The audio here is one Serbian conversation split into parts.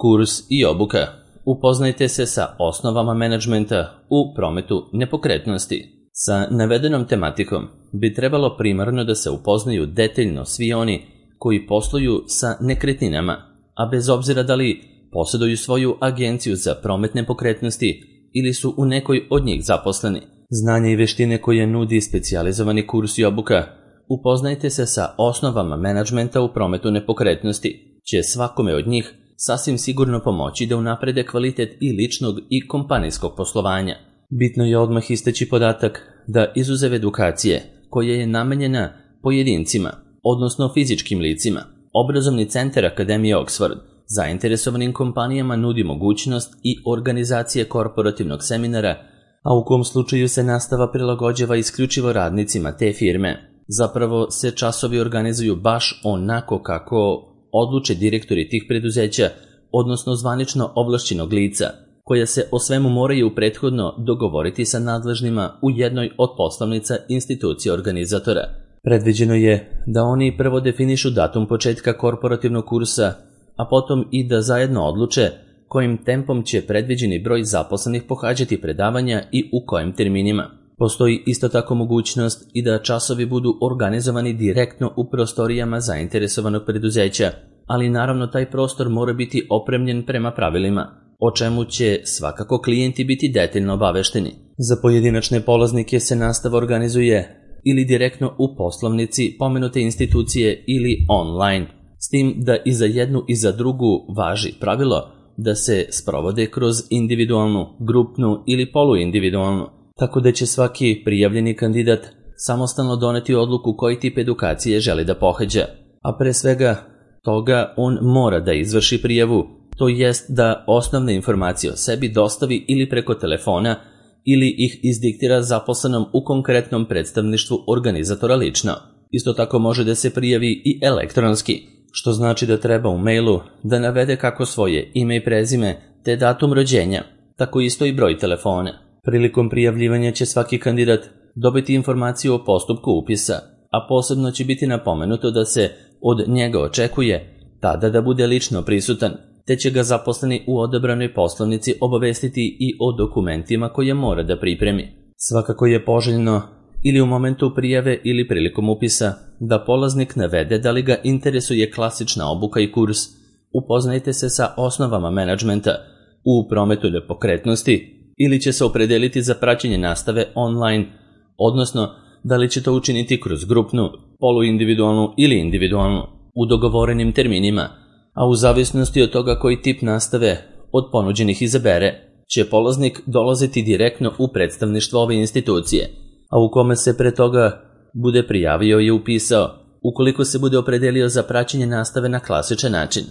Kurs i obuka. Upoznajte se sa osnovama menadžmenta u prometu nepokretnosti. Sa navedenom tematikom bi trebalo primarno da se upoznaju detaljno svi oni koji posluju sa nekretninama, a bez obzira da li posjeduju svoju agenciju za promet nepokretnosti ili su u nekoj od njih zaposleni. Znanje i veštine koje nudi specijalizovani kurs i obuka Upoznajte se sa osnovama menadžmenta u prometu nepokretnosti će svakome od njih sasvim sigurno pomoći da unaprede kvalitet i ličnog i kompanijskog poslovanja. Bitno je odmah istaći podatak da izuzev edukacije koja je namenjena pojedincima, odnosno fizičkim licima, obrazovni centar Akademije Oxford zainteresovanim kompanijama nudi mogućnost i organizacije korporativnog seminara, a u kom slučaju se nastava prilagođava isključivo radnicima te firme. Zapravo se časovi organizuju baš onako kako odluče direktori tih preduzeća, odnosno zvanično ovlašćenog lica, koja se o svemu moraju prethodno dogovoriti sa nadležnima u jednoj od poslovnica institucije organizatora. Predviđeno je da oni prvo definišu datum početka korporativnog kursa, a potom i da zajedno odluče kojim tempom će predviđeni broj zaposlenih pohađati predavanja i u kojim terminima. Postoji isto tako mogućnost i da časovi budu organizovani direktno u prostorijama zainteresovanog preduzeća, ali naravno taj prostor mora biti opremljen prema pravilima, o čemu će svakako klijenti biti detaljno obavešteni. Za pojedinačne polaznike se nastava organizuje ili direktno u poslovnici pomenute institucije ili online, s tim da i za jednu i za drugu važi pravilo da se sprovode kroz individualnu, grupnu ili poluindividualnu, tako da će svaki prijavljeni kandidat samostalno doneti odluku koji tip edukacije želi da pohađa, a pre svega toga on mora da izvrši prijavu, to jest da osnovne informacije o sebi dostavi ili preko telefona ili ih izdiktira zaposlenom u konkretnom predstavništvu organizatora lično. Isto tako može da se prijavi i elektronski, što znači da treba u mailu da navede kako svoje ime i prezime te datum rođenja, tako isto i broj telefona. Prilikom prijavljivanja će svaki kandidat dobiti informaciju o postupku upisa, a posebno će biti napomenuto da se od njega očekuje tada da bude lično prisutan, te će ga zaposleni u odabranoj poslovnici obavestiti i o dokumentima koje mora da pripremi. Svakako je poželjno ili u momentu prijave ili prilikom upisa da polaznik navede da li ga interesuje klasična obuka i kurs. Upoznajte se sa osnovama menadžmenta u prometu nepokretnosti ili će se opredeliti za praćenje nastave online, odnosno da li će to učiniti kroz grupnu, poluindividualnu ili individualnu, u dogovorenim terminima, a u zavisnosti od toga koji tip nastave od ponuđenih izabere, će polaznik dolaziti direktno u predstavništvo ove institucije, a u kome se pre toga bude prijavio i upisao, ukoliko se bude opredelio za praćenje nastave na klasičan način.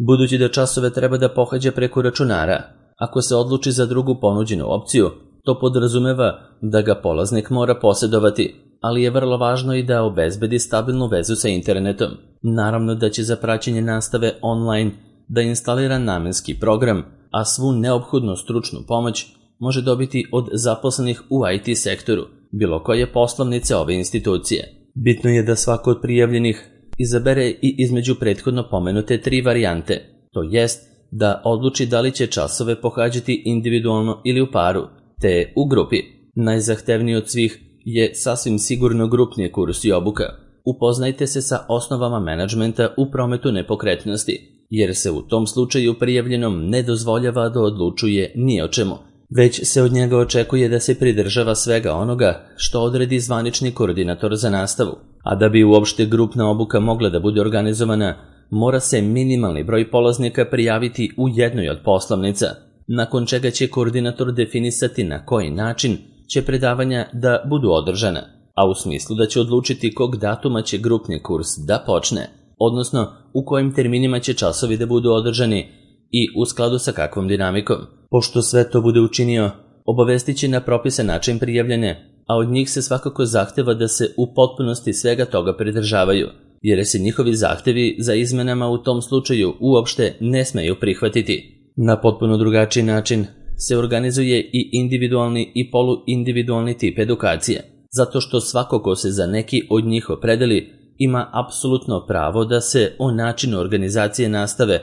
Budući da časove treba da pohađa preko računara, ako se odluči za drugu ponuđenu opciju, to podrazumeva da ga polaznik mora posjedovati, ali je vrlo važno i da obezbedi stabilnu vezu sa internetom. Naravno da će za praćenje nastave online da instalira namenski program, a svu neophodnu stručnu pomoć može dobiti od zaposlenih u IT sektoru, bilo koje poslovnice ove institucije. Bitno je da svako od prijavljenih izabere i između prethodno pomenute 3 varijante, to jest da odluči da li će časove pohađati individualno ili u paru, te u grupi. Najzahtevniji od svih je sasvim sigurno grupni kurs i obuka. Upoznajte se sa osnovama menadžmenta u prometu nepokretnosti, jer se u tom slučaju prijavljenom ne dozvoljava da odlučuje ni o čemu, već se od njega očekuje da se pridržava svega onoga što odredi zvanični koordinator za nastavu. A da bi uopšte grupna obuka mogla da bude organizovana, mora se minimalni broj polaznika prijaviti u jednoj od poslovnica, nakon čega će koordinator definisati na koji način će predavanja da budu održana, a u smislu da će odlučiti kog datuma će grupni kurs da počne, odnosno u kojim terminima će časovi da budu održani i u skladu sa kakvom dinamikom. Pošto sve to bude učinio, obavestit će na propisan način prijavljene, a od njih se svakako zahteva da se u potpunosti svega toga pridržavaju, jer se njihovi zahtevi za izmenama u tom slučaju uopšte ne smeju prihvatiti. Na potpuno drugačiji način se organizuje i individualni i poluindividualni tip edukacije, zato što svako ko se za neki od njih opredeli ima apsolutno pravo da se o načinu organizacije nastave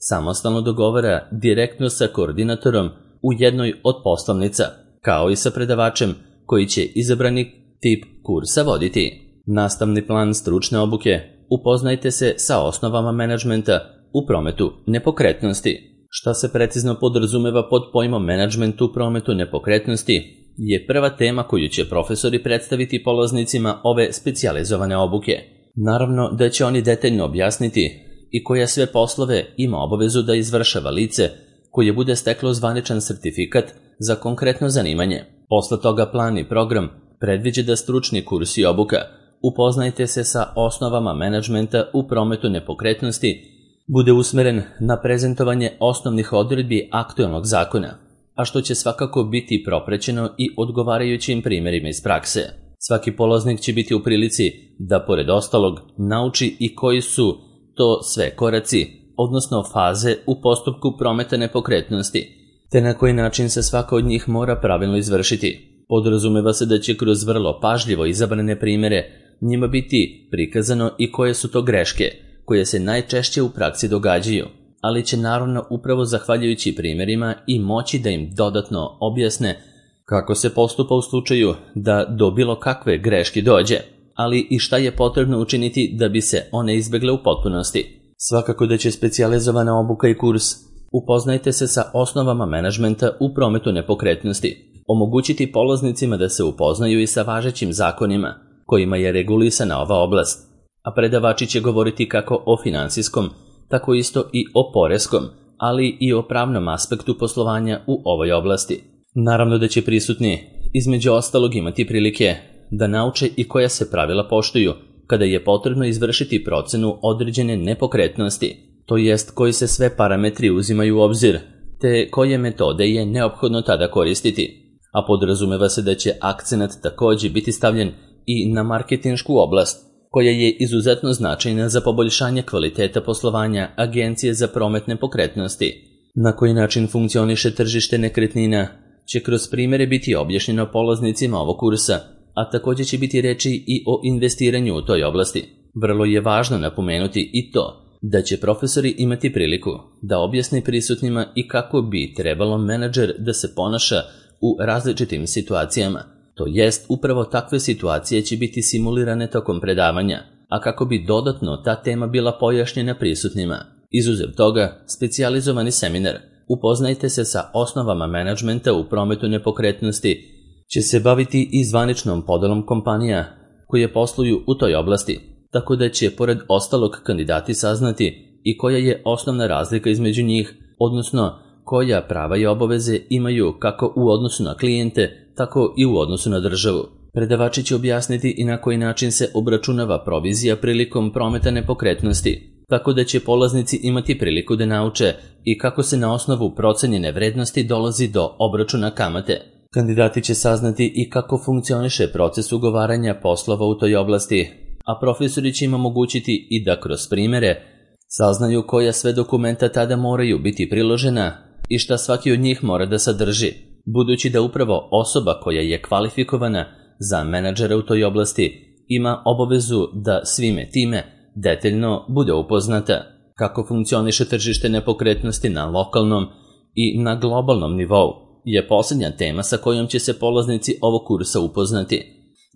samostalno dogovara direktno sa koordinatorom u jednoj od poslovnica, kao i sa predavačem koji će izabrani tip kursa voditi. Nastavni plan stručne obuke. Upoznajte se sa osnovama menadžmenta u prometu nepokretnosti. Šta se precizno podrazumeva pod pojmom menadžment u prometu nepokretnosti je prva tema koju će profesori predstaviti polaznicima ove specijalizovane obuke. Naravno da će oni detaljno objasniti i koje sve poslove ima obavezu da izvršava lice koje bude steklo zvaničan sertifikat za konkretno zanimanje. Posle toga plan i program predviđa da stručni kurs i obuka upoznajte se sa osnovama menadžmenta u prometu nepokretnosti bude usmeren na prezentovanje osnovnih odredbi aktuelnog zakona, a što će svakako biti proprećeno i odgovarajućim primjerima iz prakse. Svaki polaznik će biti u prilici da, pored ostalog, nauči i koji su to sve koraci, odnosno faze u postupku prometa nepokretnosti, te na koji način se svaka od njih mora pravilno izvršiti. Podrazumeva se da će kroz vrlo pažljivo izabrane primjere njima biti prikazano i koje su to greške, koje se najčešće u praksi događaju, ali će naravno upravo zahvaljujući primjerima i moći da im dodatno objasne kako se postupa u slučaju da do bilo kakve greške dođe, ali i šta je potrebno učiniti da bi se one izbegle u potpunosti. Svakako da će specijalizovana obuka i kurs upoznajte se sa osnovama menadžmenta u prometu nepokretnosti omogućiti polaznicima da se upoznaju i sa važećim zakonima kojima je regulisana ova oblast, a predavači će govoriti kako o finansijskom, tako isto i o poreskom, ali i o pravnom aspektu poslovanja u ovoj oblasti. Naravno da će prisutni, između ostalog, imati prilike da nauče i koja se pravila poštuju kada je potrebno izvršiti procenu određene nepokretnosti, to jest koji se sve parametri uzimaju u obzir, te koje metode je neophodno tada koristiti, a podrazumeva se da će akcenat također biti stavljen i na marketinšku oblast, koja je izuzetno značajna za poboljšanje kvaliteta poslovanja Agencije za promet nepokretnosti. Na koji način funkcioniše tržište nekretnina će kroz primjere biti objašnjeno polaznicima ovog kursa, a također će biti reči i o investiranju u toj oblasti. Vrlo je važno napomenuti i to da će profesori imati priliku da objasne prisutnima i kako bi trebalo menadžer da se ponaša u različitim situacijama. To jest, upravo takve situacije će biti simulirane tokom predavanja, a kako bi dodatno ta tema bila pojašnjena prisutnima. Izuzev toga, specijalizovani seminar Upoznajte se sa osnovama menadžmenta u prometu nepokretnosti će se baviti i zvaničnom podelom kompanija koje posluju u toj oblasti, tako da će pored ostalog kandidati saznati i koja je osnovna razlika između njih, odnosno koja prava i obaveze imaju kako u odnosu na klijente, tako i u odnosu na državu. Predavači će objasniti i na koji način se obračunava provizija prilikom prometa nepokretnosti, tako da će polaznici imati priliku da nauče i kako se na osnovu procenjene vrednosti dolazi do obračuna kamate. Kandidati će saznati i kako funkcioniše proces ugovaranja poslova u toj oblasti, a profesori će im omogućiti i da kroz primjere saznaju koja sve dokumenta tada moraju biti priložena i šta svaki od njih mora da sadrži, budući da upravo osoba koja je kvalifikovana za menadžera u toj oblasti ima obavezu da svime time detaljno bude upoznata kako funkcioniše tržište nepokretnosti na lokalnom i na globalnom nivou, je posljednja tema sa kojom će se polaznici ovog kursa upoznati.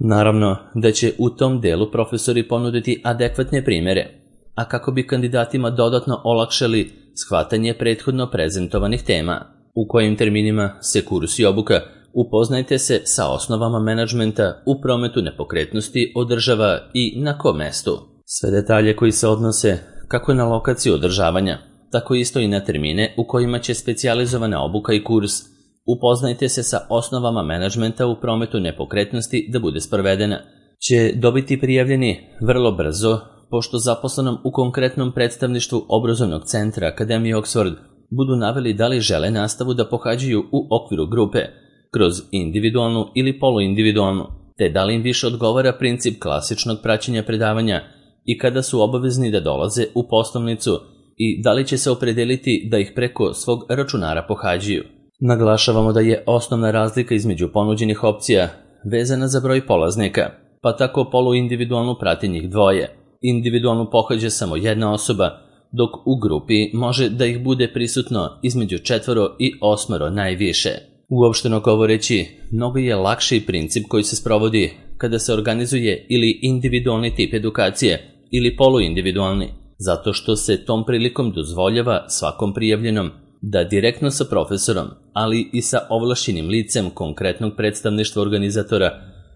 Naravno da će u tom delu profesori ponuditi adekvatne primjere, a kako bi kandidatima dodatno olakšali shvatanje prethodno prezentovanih tema. U kojim terminima se kurs i obuka Upoznajte se sa osnovama menadžmenta u prometu nepokretnosti održava i na kom mestu. Sve detalje koji se odnose kako na lokaciju održavanja, tako isto i na termine u kojima će specijalizovana obuka i kurs Upoznajte se sa osnovama menadžmenta u prometu nepokretnosti da bude sprovedena, će dobiti prijavljeni vrlo brzo, pošto zaposlenom u konkretnom predstavništvu obrazovnog centra Akademije Oxford budu naveli da li žele nastavu da pohađaju u okviru grupe, kroz individualnu ili poluindividualnu, te da li im više odgovara princip klasičnog praćenja predavanja i kada su obavezni da dolaze u poslovnicu i da li će se opredeliti da ih preko svog računara pohađaju. Naglašavamo da je osnovna razlika između ponuđenih opcija vezana za broj polaznika, pa tako poluindividualnu prati njih dvoje. Individualnu pohađa samo jedna osoba, dok u grupi može da ih bude prisutno između 4 i 8 najviše. Uopšteno govoreći, mnogo je lakši princip koji se sprovodi kada se organizuje ili individualni tip edukacije ili poluindividualni, zato što se tom prilikom dozvoljava svakom prijavljenom da direktno sa profesorom, ali i sa ovlašćenim licem konkretnog predstavništva organizatora,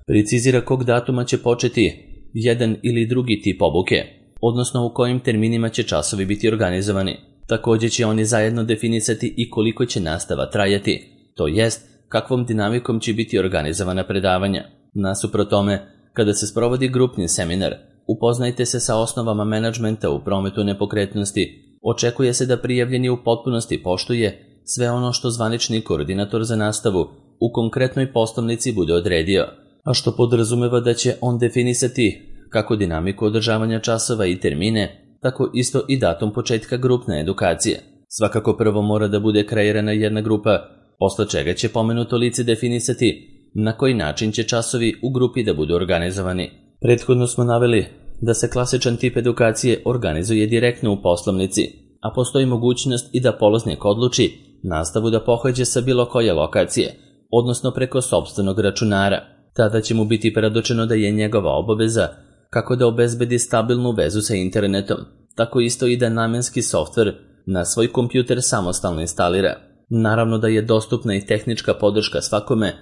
precizira kog datuma će početi jedan ili drugi tip obuke, odnosno u kojim terminima će časovi biti organizovani. Također će oni zajedno definisati i koliko će nastava trajati, to jest kakvom dinamikom će biti organizovana predavanja. Nasuprot tome, kada se sprovodi grupni seminar, upoznajte se sa osnovama menadžmenta u prometu nepokretnosti. Očekuje se da prijavljeni u potpunosti poštuje sve ono što zvanični koordinator za nastavu u konkretnoj poslovnici bude odredio, a što podrazumeva da će on definisati kako dinamiku održavanja časova i termine, tako isto i datum početka grupne edukacije. Svakako prvo mora da bude kreirana jedna grupa, posle čega će pomenuto lice definisati na koji način će časovi u grupi da budu organizovani. Prethodno smo naveli da se klasičan tip edukacije organizuje direktno u poslovnici, a postoji mogućnost i da polaznik odluči nastavu da pohađa sa bilo koje lokacije, odnosno preko sopstvenog računara. Tada će mu biti predočeno da je njegova obaveza kako da obezbedi stabilnu vezu sa internetom, tako isto i da namenski softver na svoj kompjuter samostalno instalira. Naravno da je dostupna i tehnička podrška svakome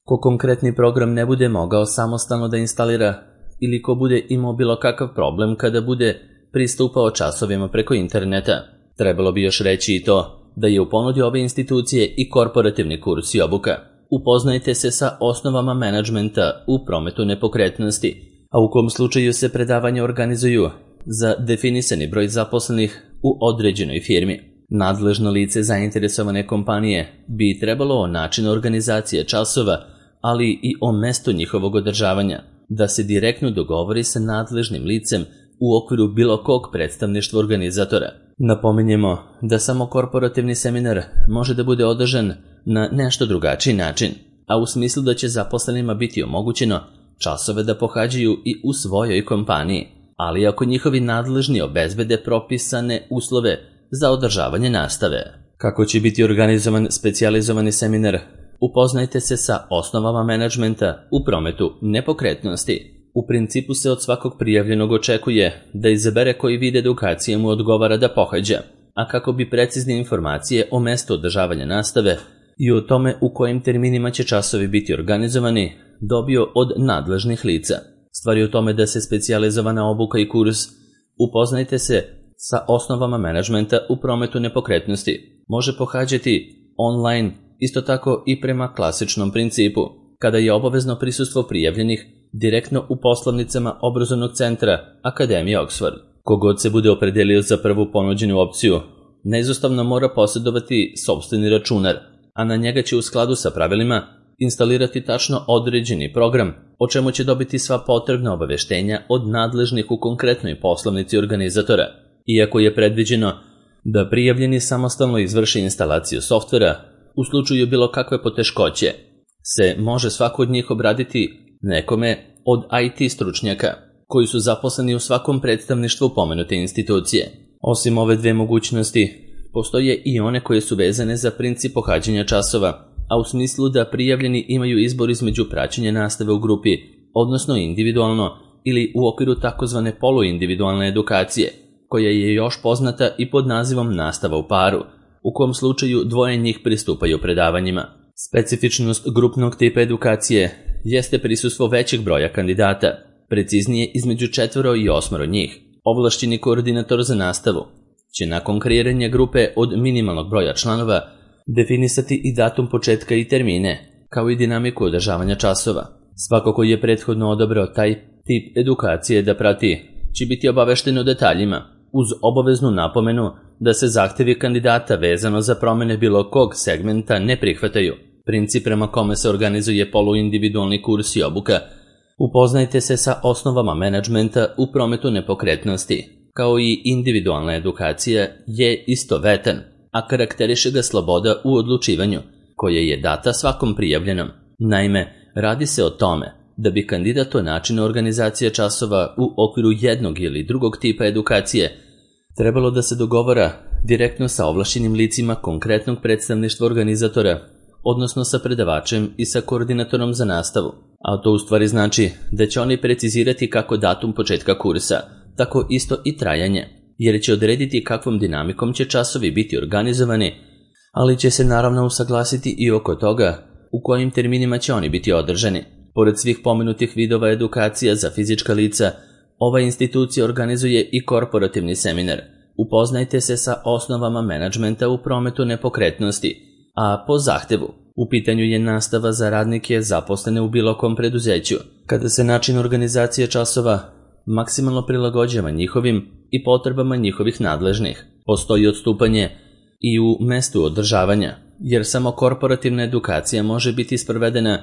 ko konkretni program ne bude mogao samostalno da instalira ili ko bude imao bilo kakav problem kada bude pristupao časovima preko interneta. Trebalo bi još reći i to da je u ponudi ove institucije i korporativni kurs i obuka. Upoznajte se sa osnovama menadžmenta u prometu nepokretnosti, a u kom slučaju se predavanja organizuju za definisani broj zaposlenih u određenoj firmi. Nadležno lice zainteresovane kompanije bi trebalo o načinu organizacije časova, ali i o mestu njihovog održavanja, da se direktno dogovori sa nadležnim licem u okviru bilo kog predstavništva organizatora. Napominjemo da samo korporativni seminar može da bude održan na nešto drugačiji način, a u smislu da će zaposlenima biti omogućeno časove da pohađaju i u svojoj kompaniji, ali ako njihovi nadležni obezbede propisane uslove za održavanje nastave. Kako će biti organizovan specijalizovani seminar? Upoznajte se sa osnovama menadžmenta u prometu nepokretnosti. U principu se od svakog prijavljenog očekuje da izabere koji vid edukacije mu odgovara da pohađa, a kako bi precizne informacije o mestu održavanja nastave i o tome u kojim terminima će časovi biti organizovani dobio od nadležnih lica. Stvar je u tome da se specijalizovana obuka i kurs Upoznajte se sa osnovama menadžmenta u prometu nepokretnosti može pohađati online, isto tako i prema klasičnom principu, kada je obavezno prisustvo prijavljenih direktno u poslovnicama obrazovnog centra Akademije Oxford. Kogod se bude opredelio za prvu ponuđenu opciju, neizostavno mora posjedovati sopstveni računar, a na njega će u skladu sa pravilima instalirati tačno određeni program, o čemu će dobiti sva potrebna obaveštenja od nadležnih u konkretnoj poslovnici organizatora. Iako je predviđeno da prijavljeni samostalno izvrši instalaciju softvera, u slučaju bilo kakve poteškoće se može svako od njih obraditi nekome od IT stručnjaka, koji su zaposleni u svakom predstavništvu pomenute institucije. Osim ove dve mogućnosti, postoje i one koje su vezane za princip pohađanja časova, a u smislu da prijavljeni imaju izbor između praćenja nastave u grupi, odnosno individualno ili u okviru takozvane poluindividualne edukacije, koja je još poznata i pod nazivom nastava u paru, u kom slučaju dvoje njih pristupaju predavanjima. Specifičnost grupnog tipa edukacije jeste prisustvo većeg broja kandidata, preciznije između 4 i 8 njih. Ovlašćeni koordinator za nastavu će nakon kreiranja grupe od minimalnog broja članova definisati i datum početka i termine, kao i dinamiku održavanja časova. Svako ko je prethodno odabrao taj tip edukacije da prati, će biti obavešten o detaljima, uz obaveznu napomenu da se zahtevi kandidata vezano za promene bilo kog segmenta ne prihvataju. Princip prema kome se organizuje poluindividualni kurs i obuka. Upoznajte se sa osnovama menadžmenta u prometu nepokretnosti, kao i individualna edukacija je istovetan, a karakteriše ga sloboda u odlučivanju, koja je data svakom prijavljenom. Naime, radi se o tome da bi kandidat o načinu organizacije časova u okviru jednog ili drugog tipa edukacije trebalo da se dogovara direktno sa ovlašćenim licima konkretnog predstavništva organizatora, odnosno sa predavačem i sa koordinatorom za nastavu. A to u stvari znači da će oni precizirati kako datum početka kursa, tako isto i trajanje, jer će odrediti kakvom dinamikom će časovi biti organizovani, ali će se naravno usaglasiti i oko toga u kojim terminima će oni biti održani. Pored svih pomenutih vidova edukacija za fizička lica, ova institucija organizuje i korporativni seminar. Upoznajte se sa osnovama menadžmenta u prometu nepokretnosti, a po zahtevu. U pitanju je nastava za radnike zaposlene u bilo kom preduzeću, kada se način organizacije časova maksimalno prilagođava njihovim i potrebama njihovih nadležnih. Postoji odstupanje i u mestu održavanja, jer samo korporativna edukacija može biti sprovedena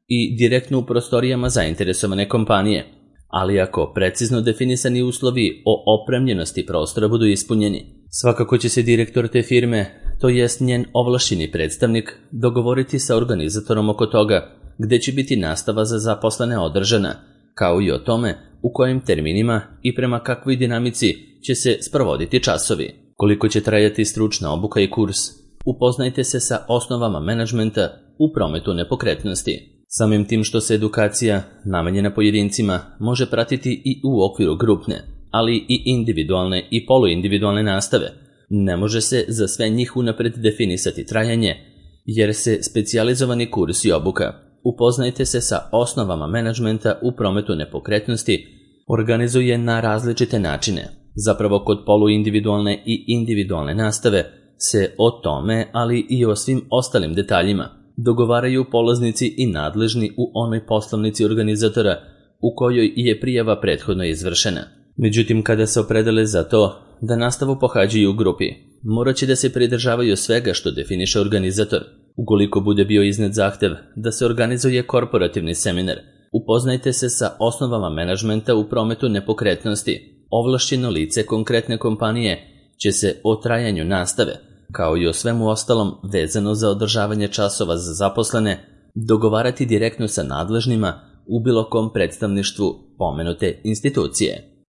i direktno u prostorijama zainteresovane kompanije, ali ako precizno definisani uslovi o opremljenosti prostora budu ispunjeni, svakako će se direktor te firme, to jest njen ovlašćeni predstavnik, dogovoriti sa organizatorom oko toga gde će biti nastava za zaposlene održana, kao i o tome u kojim terminima i prema kakvoj dinamici će se sprovoditi časovi. Koliko će trajati stručna obuka i kurs? Upoznajte se sa osnovama menadžmenta u prometu nepokretnosti. Samim tim što se edukacija, namenjena pojedincima, može pratiti i u okviru grupne, ali i individualne i poluindividualne nastave, ne može se za sve njih unapred definisati trajanje, jer se specijalizovani kurs i obuka upoznajte se sa osnovama menadžmenta u prometu nepokretnosti organizuje na različite načine. Zapravo kod poluindividualne i individualne nastave se o tome, ali i o svim ostalim detaljima dogovaraju polaznici i nadležni u onoj poslovnici organizatora u kojoj je prijava prethodno izvršena. Međutim, kada se opredele za to da nastavu pohađaju u grupi, morat će da se pridržavaju svega što definiše organizator. Ukoliko bude bio iznet zahtev da se organizuje korporativni seminar, upoznajte se sa osnovama menadžmenta u prometu nepokretnosti. Ovlašćeno lice konkretne kompanije će se o trajanju nastave, kao i o svemu ostalom vezano za održavanje časova za zaposlene, dogovarati direktno sa nadležnima u bilo kom predstavništvu pomenute institucije.